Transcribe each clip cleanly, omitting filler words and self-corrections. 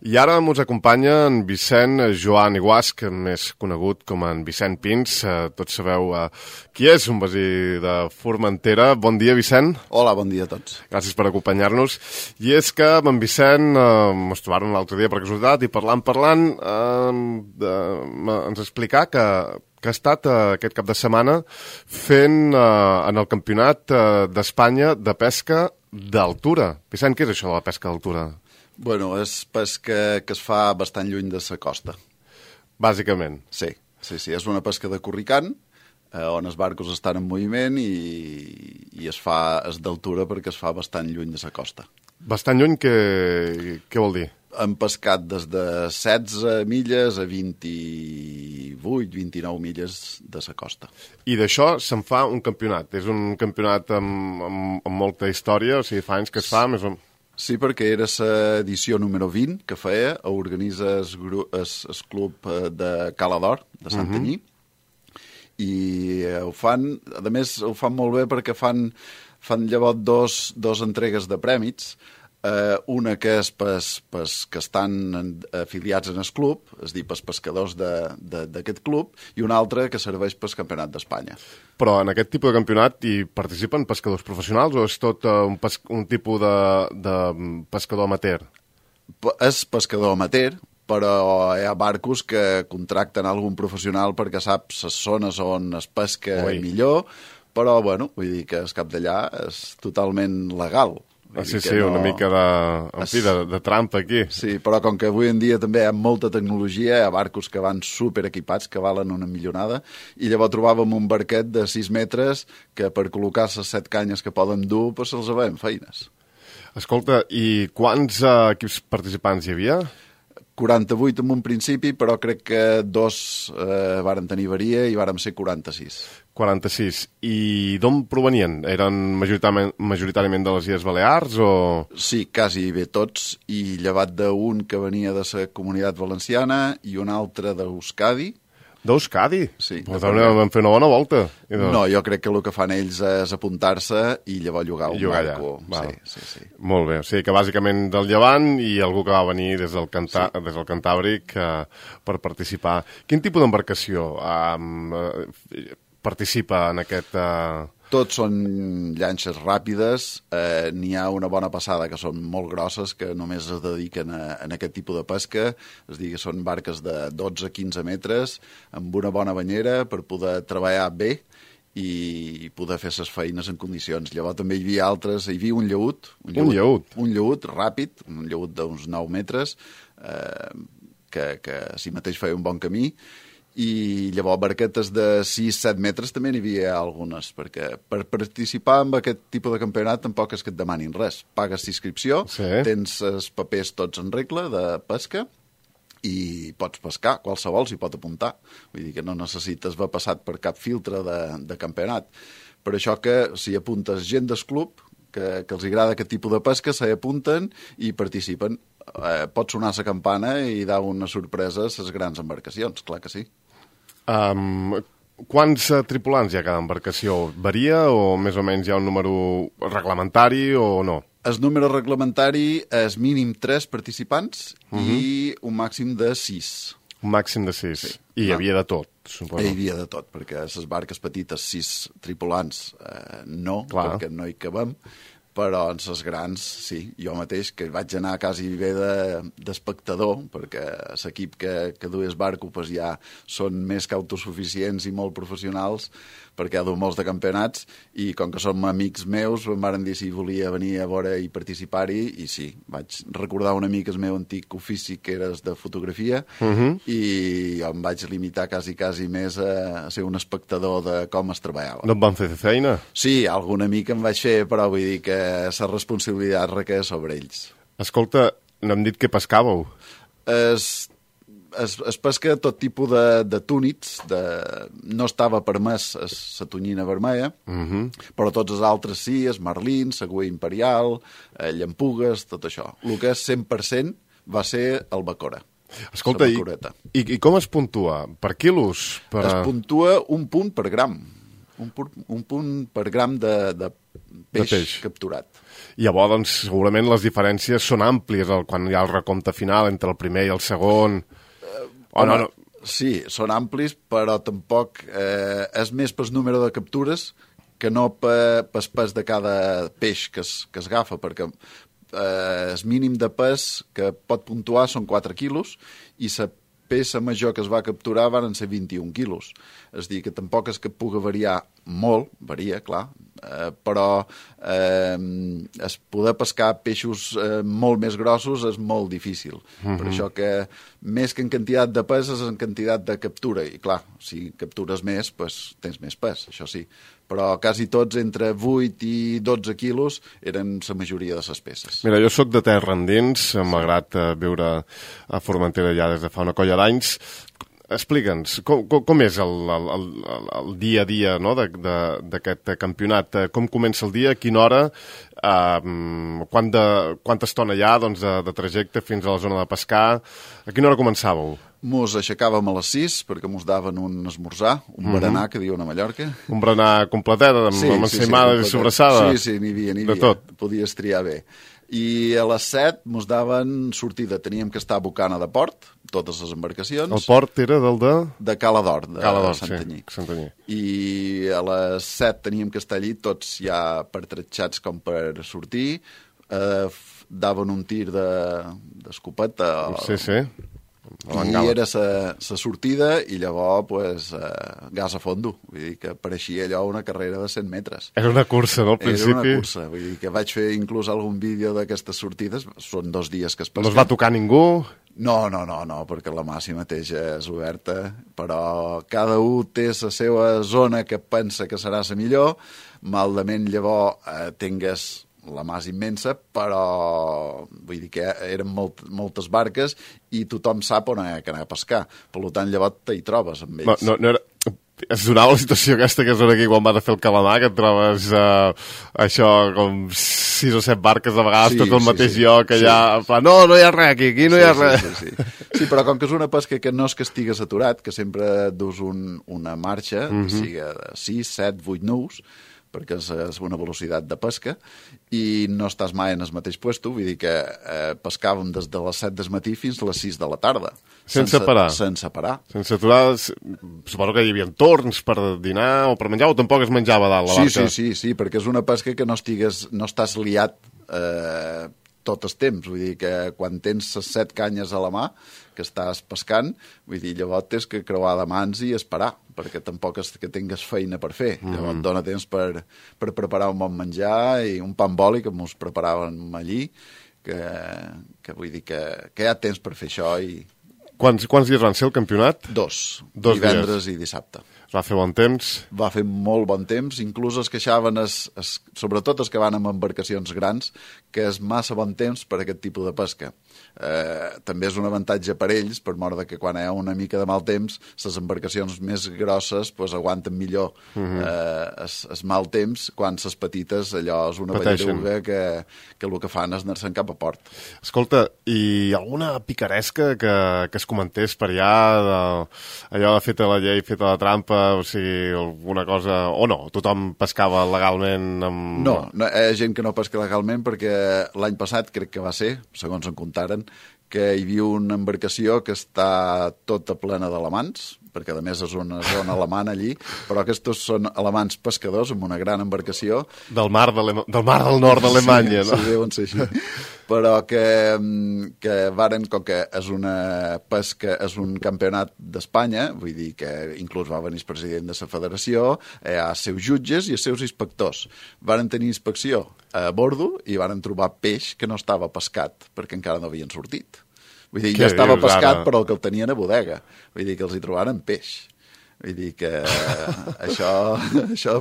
I ara ens acompanya en Vicent Joan Iguasc, més conegut com en Vicent Pins. Tots sabeu qui és, un veí de Formentera. Bon dia, Vicent. Hola, bon dia a tots. Gràcies per acompanyar-nos. I és que amb en Vicent ens trobàrem l'altre dia per casualitat i parlant, ens explicà que ha estat aquest cap de setmana fent en el Campionat d'Espanya de pesca d'altura. Vicent, què és això de la pesca d'altura? Bueno, és pesca que es fa bastant lluny de la costa. Bàsicament. Sí. És una pesca de corricant, on els barcos estan en moviment i és d'altura perquè es fa bastant lluny de la costa. Bastant lluny, què vol dir? Hem pescat des de 16 milles a 28, 29 milles de la costa. I d'això se'n fa un campionat. És un campionat amb molta història, o sigui, fa anys que es fa més o menys. Sí, perquè era l'edició número 20 que feia, organitza el club de Cala d'Or, de Santanyí, i ho fan, a més ho fan molt bé perquè fan llavors dos entregues de prèmits, una que és que estan afiliats en el club, és a dir, pels pescadors d'aquest club, i una altra que serveix pel Campionat d'Espanya. Però en aquest tipus de campionat hi participen pescadors professionals o és tot un tipus de pescador amateur? És pescador amateur, però hi ha barcos que contracten algun professional perquè sap les zones on es pesca millor, però, bueno, vull dir que el cap d'allà és totalment legal. Sí, una mica de trampa aquí. Sí, però com que avui en dia també hi ha molta tecnologia, hi ha barcos que van superequipats, que valen una millonada, i llavors trobàvem un barquet de 6 metres que per col·locar les 7 canyes que poden dur, doncs se'ls veiem feines. Escolta, i quants equips participants hi havia? 48 en un principi, però crec que 2 varen tenir varia i vàrem ser 46. 46. I d'on provenien? Eren majoritàriament de les Illes Balears o...? Sí, quasi bé tots, i llevat d'un que venia de la Comunitat Valenciana i un altre d'Euskadi. D'Euskadi? Sí. Però vam fer una bona volta. No, jo crec que el que fan ells és apuntar-se i llavors llogar un barco. Sí. Molt bé, o sigui que bàsicament del Llevant i algú que va venir des del Cantàbric per participar. Quin tipus d'embarcació participa en aquest... Tots són llanxes ràpides, n'hi ha una bona passada que són molt grosses, que només es dediquen a aquest tipus de pesca, és a dir, que són barques de 12-15 metres, amb una bona banyera per poder treballar bé i poder fer les feines en condicions. Llavors també hi havia altres, hi havia un llaüt. Un llaüt ràpid, un llaüt d'uns 9 metres, que si mateix feia un bon camí, i llavors barquetes de 6-7 metres també n'hi havia algunes, perquè per participar en aquest tipus de campionat tampoc és que et demanin res. Pagues inscripció, tens els papers tots en regla de pesca i pots pescar, qualsevol s'hi pot apuntar. Vull dir que no necessites haver passat per cap filtre de campionat. Per això que si apuntes gent del club que els agrada aquest tipus de pesca, s'hi apunten i participen. Pot sonar la campana i dar una sorpresa a les grans embarcacions, clar que sí. Quants tripulants hi ha cada embarcació? Varia o més o menys hi ha un número reglamentari o no? El número reglamentari és mínim 3 participants i un màxim de 6. Un màxim de 6. Sí. I hi havia de tot, suposo. Hi havia de tot, perquè a les barques petites 6 tripulants perquè no hi cabem, però en les grans, sí. Jo mateix, que vaig anar quasi bé d'espectador, perquè l'equip que duia el barco ja són més que autosuficients i molt professionals, perquè ha dut molts de campionats, i com que som amics meus, em van dir si volia venir a veure i participar-hi, i sí, vaig recordar un amic el meu antic ofici, que era de fotografia, i jo em vaig limitar quasi més a ser un espectador de com es treballava. No et van fer feina? Sí, algun amic em vaig fer, però vull dir que la responsabilitat requeia sobre ells. Escolta, no hem dit que pescàveu. Es pesca tot tipus de túnids, no estava permès la tonyina vermella, però tots els altres sí, els marlins, la cua imperial, llampugues, tot això. El que és 100% va ser el bacora. Escolta, i com es puntua? Per quilos? Es puntua un punt per gram. un punt per gram de peix capturat. I llavors, doncs, segurament les diferències són àmplies quan hi ha el recompte final entre el primer i el segon. No. Sí, són amplis, però tampoc és més pel número de captures que no pel pes de cada peix que es agafa, perquè el mínim de pes que pot puntuar són 4 quilos i la peça major que es va capturar van ser 21 quilos. És a dir, que tampoc és que pugui variar molt, varia, clar, però poder pescar peixos molt més grossos és molt difícil. Per això que més que en quantitat de pes és en quantitat de captura. I clar, si captures més, pues, tens més pes, això sí. Però quasi tots entre 8 i 12 quilos eren la majoria de les peces. Mira, jo sóc de terra endins, malgrat viure a Formentera ja des de fa una colla d'anys. Explica'ns, com és el dia a dia, no, d'aquest campionat? Com comença el dia, a quina hora, quanta estona hi ha, doncs, de trajecte fins a la zona de pescar? A quina hora començàveu? Mos aixecàvem a les 6 perquè mos daven un esmorzar, un berenar, que diuen a Mallorca. Un berenar completet, amb ensaïmades i sobrassada? Sí, n'hi havia. De tot. Podies triar bé. I a les 7 mos daven sortida. Teníem que estar a Bocana de Port, totes les embarcacions. El port era del de? De Cala d'Or, de Santanyí. Santanyí. I a les 7 teníem que estar allí, tots ja pertratxats com per sortir. Daven un tir d'escopeta. Sí. I era la sortida i llavors pues, gas a fondo. Vull dir que pareixia allò una carrera de 100 metres. Era una cursa, no, al principi? Era una cursa. Vull dir que vaig fer inclús algun vídeo d'aquestes sortides. Són 2 dies que es pesquen. No es va tocar ningú? No, perquè la mà si mateix és oberta, però cada un té la seva zona que pensa que serà la millor. Maldament llavors tingues la mà és immensa, però vull dir que eren moltes barques i tothom sap on anar a pescar. Per tant, llavors t'hi trobes amb ells. No era... Es donava la situació aquesta que és aquí quan vas a fer el calamar, que et trobes això com 6 o 7 barques a vegades, tot el mateix lloc, allà... No hi ha res aquí no hi ha res. Sí, però com que és una pesca que no és que estigues aturat, que sempre dus una marxa, que sigui de 6, 7, 8 nus, perquè és una velocitat de pesca, i no estàs mai en el mateix puesto, vull dir que pescàvem des de les 7 del matí fins a les 6 de la tarda. Sense parar? Sense parar. Sense aturar, suposo que hi havia torns per dinar o per menjar, o tampoc es menjava dalt la barca? Sí, perquè és una pesca que no estàs liat tot el temps, vull dir que quan tens les 7 canyes a la mà que estàs pescant, vull dir, llavors tens que creuar de mans i esperar, perquè tampoc és que tingues feina per fer. Llavors dona temps per preparar un bon menjar i un pa amb oli que ens preparàvem allí, que vull dir que hi ha temps per fer això. Quants dies van ser el campionat? 2 divendres dies. I dissabte. Va fer bon temps? Va fer molt bon temps, inclús es queixaven, sobretot els que van amb embarcacions grans, que és massa bon temps per a aquest tipus de pesca. També és un avantatge per ells, per mort que quan hi ha una mica de mal temps, les embarcacions més grosses pues, aguanten millor el mal temps, quan les petites allò és una ballaruga que el que fan és anar-se'n cap a port. Escolta, i alguna picaresca que es comentés per allà, allò de feta la llei, feta la trampa, o sigui, alguna cosa... O no? Tothom pescava legalment? No, hi ha gent que no pesca legalment perquè l'any passat, crec que va ser, segons en contaren, que hi havia una embarcació que està tota plena d'alamans, perquè a més és una zona alemana allí, però aquests són alemans pescadors amb una gran embarcació. Del mar del nord d'Alemanya, no? Sí, deuen ser així. Però que varen, com que és una pesca, és un campionat d'Espanya, vull dir que inclús va venir el president de la federació, hi ha els seus jutges i els seus inspectors. Varen tenir inspecció a bordo i varen trobar peix que no estava pescat, perquè encara no havien sortit. Vull dir, ja estava pescat, però el que el tenien a bodega. Vull dir que els hi trobaren peix. Vull dir que això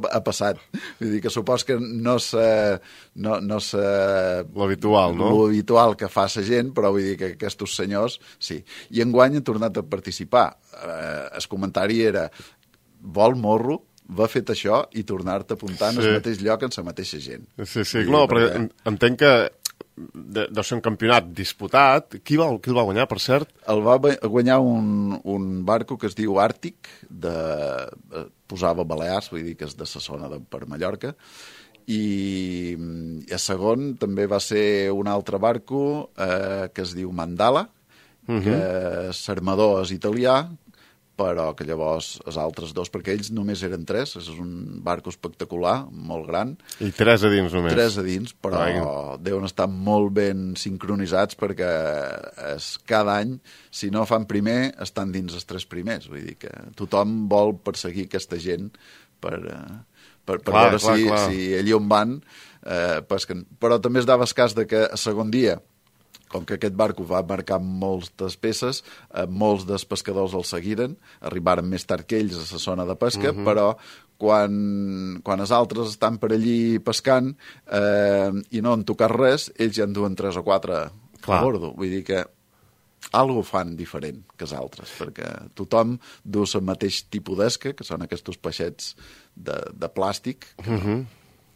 ha passat. Vull dir que supos que no és l'habitual, no? L'habitual que fa la gent, però vull dir que aquests senyors, sí. I enguany han tornat a participar. El comentari era, vol morro, va fet això i tornar-te a apuntar en el mateix lloc amb la mateixa gent. Sí, no, perquè entenc que deu ser un campionat disputat. Qui el va guanyar, per cert? El va guanyar un barco que es diu Àrtic, posava Balears, vull dir que és de sa zona per Mallorca, i a segon també va ser un altre barco que es diu Mandala, que l'armador és italià, però que llavors els altres dos, perquè ells només eren 3, és un barco espectacular, molt gran. I 3 a dins només. 3 a dins, però deuen estar molt ben sincronitzats perquè cada any, si no fan primer, estan dins els 3 primers. Vull dir que tothom vol perseguir aquesta gent per veure si allí on van pesquen. Però també es dava el cas de que a segon dia, com que aquest barco va marcar moltes peces, molts dels pescadors el seguiren, arribaren més tard que ells a la zona de pesca, però quan els altres estan per allí pescant i no han tocat res, ells ja en duen 3 o 4 a bordo. Vull dir que algo fan diferent que els altres, perquè tothom du el mateix tipus d'esca, que són aquests peixets de plàstic,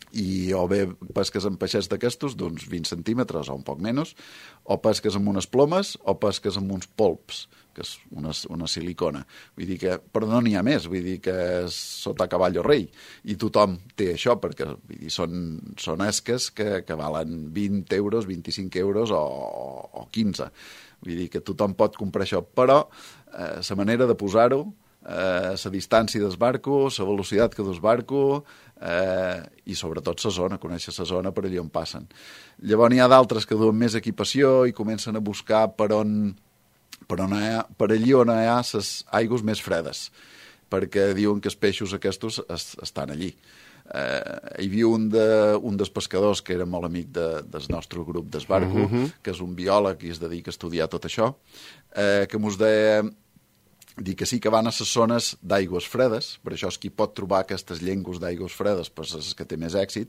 i o bé pesques amb peixets d'aquestos d'uns 20 centímetres o un poc menys, o pesques amb unes plomes o pesques amb uns polps, que és una silicona. Vull dir que, però no n'hi ha més, vull dir que és sota cavall o rei, i tothom té això, perquè vull dir, són esques que valen 20 euros, 25 euros o 15. Vull dir que tothom pot comprar això, però la manera de posar-ho, la distància del barco, la velocitat que del barco i sobretot la zona, conèixer la zona per allà on passen. Llavors n'hi ha d'altres que duen més equipació i comencen a buscar per allí on hi ha les aigües més fredes, perquè diuen que els peixos aquests estan allí. Hi havia un dels pescadors que era molt amic del nostre grup d'esbarco, que és un biòleg i es dedica a estudiar tot això, que mos deia que sí que van a les zones d'aigües fredes, per això és qui pot trobar aquestes llengües d'aigües fredes, pues és que té més èxit,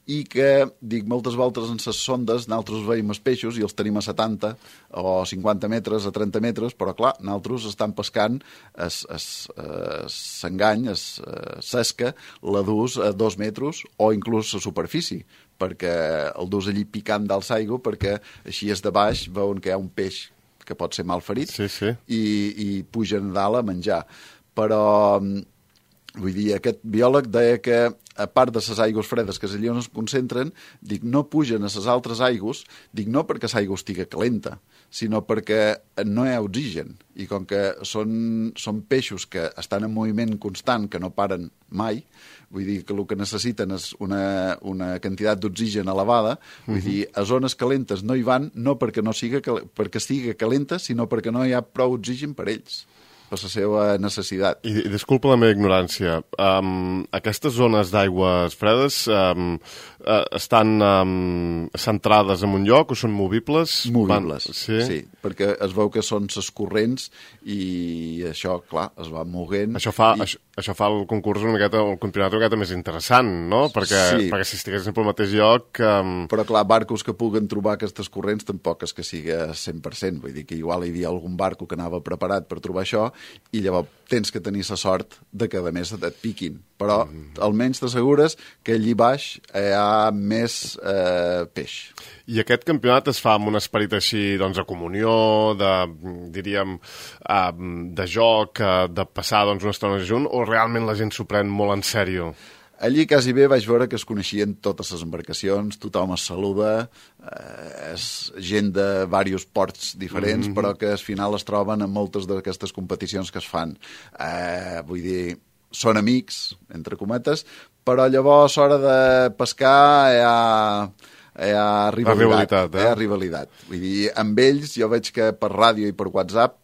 i que, moltes voltes en les sondes nosaltres veiem els peixos i els tenim a 70 o 50 metres, a 30 metres, però clar, nosaltres estan pescant s'engany, s'esca, la dus a 2 metres o inclús a superfície, perquè el dus allí picant dalt l'aigua, perquè així és de baix, veuen que hi ha un peix que pot ser mal ferit, i pugen dalt a menjar. Però, vull dir, aquest biòleg deia que, a part de les aigües fredes que és allà on es concentren, no pugen a les altres aigües, no perquè l'aigua estigui calenta, sinó perquè no hi ha oxigen. I com que són peixos que estan en moviment constant, que no paren mai, vull dir que el que necessiten és una quantitat d'oxigen elevada, vull dir, a zones calentes no hi van, no perquè sigui calenta, sinó perquè no hi ha prou oxigen per ells, per la seva necessitat. I disculpa la meva ignorància, aquestes zones d'aigües fredes estan centrades en un lloc o són movibles? Movibles, sí, perquè es veu que són les corrents i això, clar, es va movent. Això fa el concurs el campionat una miqueta més interessant, no? Perquè si estiguessin pel mateix lloc... Però clar, barcos que puguen trobar aquestes corrents tampoc és que sigui 100%, vull dir que igual hi havia algun barco que anava preparat per trobar això i llavors tens que tenir la sort de que a més et piquin, però almenys t'assegures que allí baix hi ha més peix. I aquest campionat es fa amb un esperit així, doncs, de comunió, diríem, de joc, de passar una estona junt, o realment la gent s'ho pren molt en sèrio? Allí quasi bé vaig veure que es coneixien totes les embarcacions, tothom es saluda, és gent de diversos ports diferents, però que al final es troben en moltes d'aquestes competicions que es fan. Vull dir, són amics, entre cometes, però llavors a l'hora de pescar hi ha rivalitat. Hi ha rivalitat. Vull dir, amb ells jo veig que per ràdio i per WhatsApp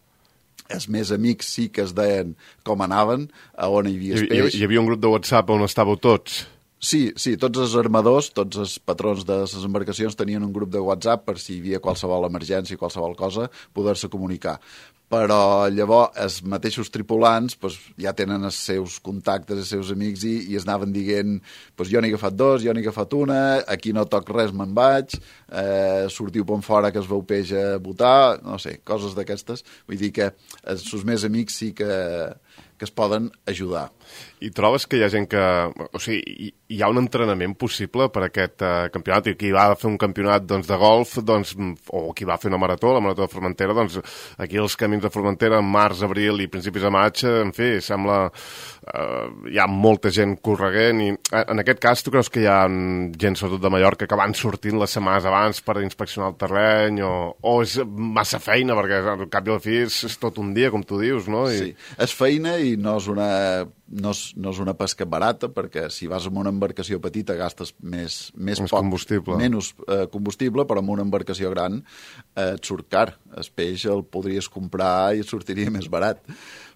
els més amics sí que es deien com anaven, a on hi havia peix. Hi havia un grup de WhatsApp on estàveu tots? Sí, tots els armadors, tots els patrons de les embarcacions tenien un grup de WhatsApp per si hi havia qualsevol emergència, qualsevol cosa, poder-se comunicar. Però llavors els mateixos tripulants ja tenen els seus contactes, els seus amics i es anaven dient jo n'he agafat 2, jo n'he agafat una, aquí no toc res, me'n vaig, sortiu pon fora que es veu peix a botar, no sé, coses d'aquestes. Vull dir que els més amics sí que que es poden ajudar. I trobes que hi ha gent que... O sigui, hi ha un entrenament possible per a aquest campionat? I qui va fer un campionat doncs, de golf, doncs, o qui va fer una marató, la marató de Formentera, doncs aquí els camins de Formentera, en març, abril i principis de maig, en fi, sembla... hi ha molta gent correguent i en aquest cas tu creus que hi ha gent, sobretot de Mallorca, que van sortint les setmanes abans per inspeccionar el terreny o és massa feina perquè al cap i a la fi és tot un dia, com tu dius, no? Sí, és feina i no és una pesca barata perquè si vas amb una embarcació petita gastes més combustible. Menys combustible, però amb una embarcació gran et surt car. El peix el podries comprar i et sortiria més barat.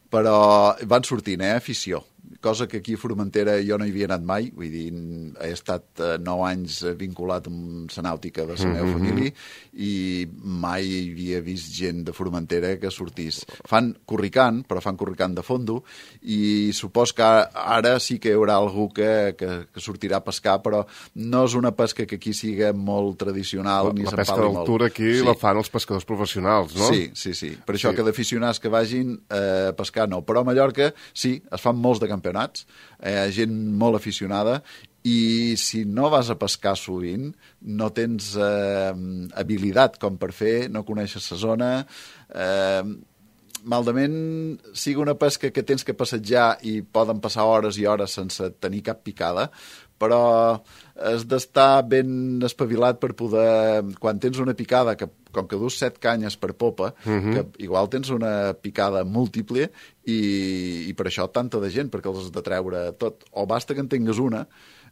Però van sortint, afició. Cosa que aquí a Formentera jo no hi havia anat mai, vull dir, he estat 9 anys vinculat amb la nàutica de la meva família i mai havia vist gent de Formentera que sortís. Fan corricant, però fan corricant de fondo i supos que ara sí que hi haurà algú que sortirà a pescar, però no és una pesca que aquí siga molt tradicional. La pesca d'altura aquí la fan els pescadors professionals, no? Sí. Per això que d'aficionats que vagin a pescar no, però a Mallorca sí, es fan molts de campionats, gent molt aficionada i si no vas a pescar sovint, no tens habilitat com per fer, no coneixes la zona, malament sigui una pesca que tens que passejar i poden passar hores i hores sense tenir cap picada, però has d'estar ben espavilat per poder... Quan tens una picada, que com que dus 7 canyes per popa, que igual tens una picada múltiple i per això tanta de gent, perquè els has de treure tot. O basta que en tingues una,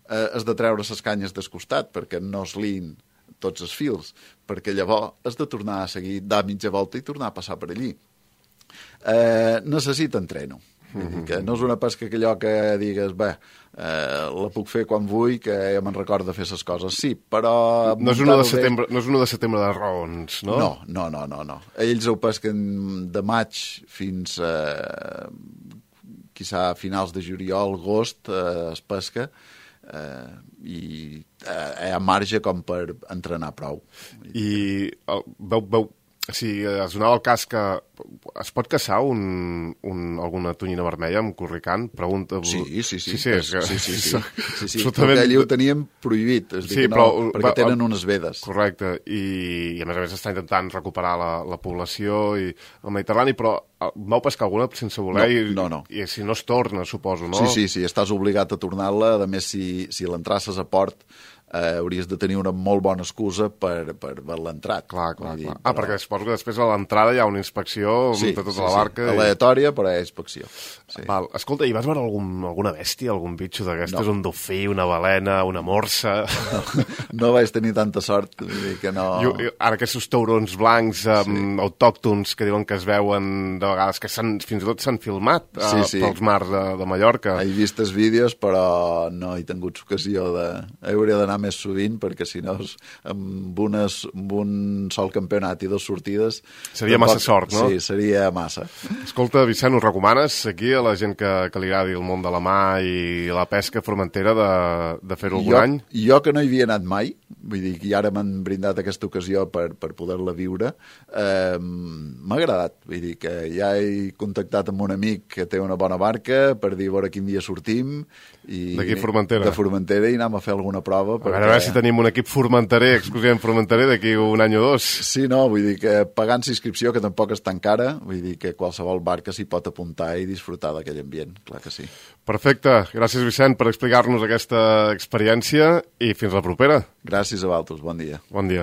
has de treure les canyes del costat, perquè no es liïn tots els fils, perquè llavors has de tornar a seguir, dar mitja volta i tornar a passar per allí. Necessita entreno. Que no és una pesca que allò que digues, bé, la puc fer quan vull, que ja me'n recordo de fer les coses. Sí, però... No és una de setembre de raons, no? No. Ells ho pesquen de maig fins quizà a finals de juliol, agost, es pesca, i hi ha marge com per entrenar prou. I si es donava el cas que es pot caçar alguna tonyina vermella amb corricant? Pregunta... Sí. Absolutament... Allí ho teníem prohibit, perquè tenen unes vedes. Correcte, i a més s'està intentant recuperar la població i el Mediterrani, però vau pescar alguna sense voler? No. I si no es torna, suposo, no? Sí, estàs obligat a tornar-la, a més si l'entrasses a port hauries de tenir una molt bona excusa per l'entrat. Clar. Perquè suposo que després a l'entrada hi ha una inspecció de tota la barca. Aleatòria, però hi ha inspecció. Sí. Val. Escolta, i vas veure alguna bèstia, algun bitxo d'aquestes? No. Un dofí, una balena, una morsa? No vaig tenir tanta sort, vull dir que no... Ara aquests taurons blancs autòctons que diuen que es veuen de vegades, que fins i tot s'han filmat pels mars de Mallorca. He vist els vídeos, però no he tingut ocasió de... Hauria d'anar més sovint, perquè si no amb un sol campionat i 2 sortides... Seria massa sort, no? Sí, seria massa. Escolta, Vicent, us recomanes aquí a la gent que li agradi el món de la mà i la pesca a Formentera de fer-ho algun any? Jo que no hi havia anat mai, vull dir que ara m'han brindat aquesta ocasió per poder-la viure, m'ha agradat, vull dir que ja he contactat amb un amic que té una bona barca per dir a veure quin dia sortim d'aquí a Formentera. De Formentera i anem a fer alguna prova. A veure si tenim un equip formenterer, exclusivament formenterer, d'aquí un any o 2. Sí, no, vull dir que pagant inscripció, que tampoc és tan cara, vull dir que qualsevol barca s'hi pot apuntar i disfrutar d'aquell ambient, clar que sí. Perfecte. Gràcies, Vicent, per explicar-nos aquesta experiència i fins la propera. Gràcies a vosaltres. Bon dia. Bon dia.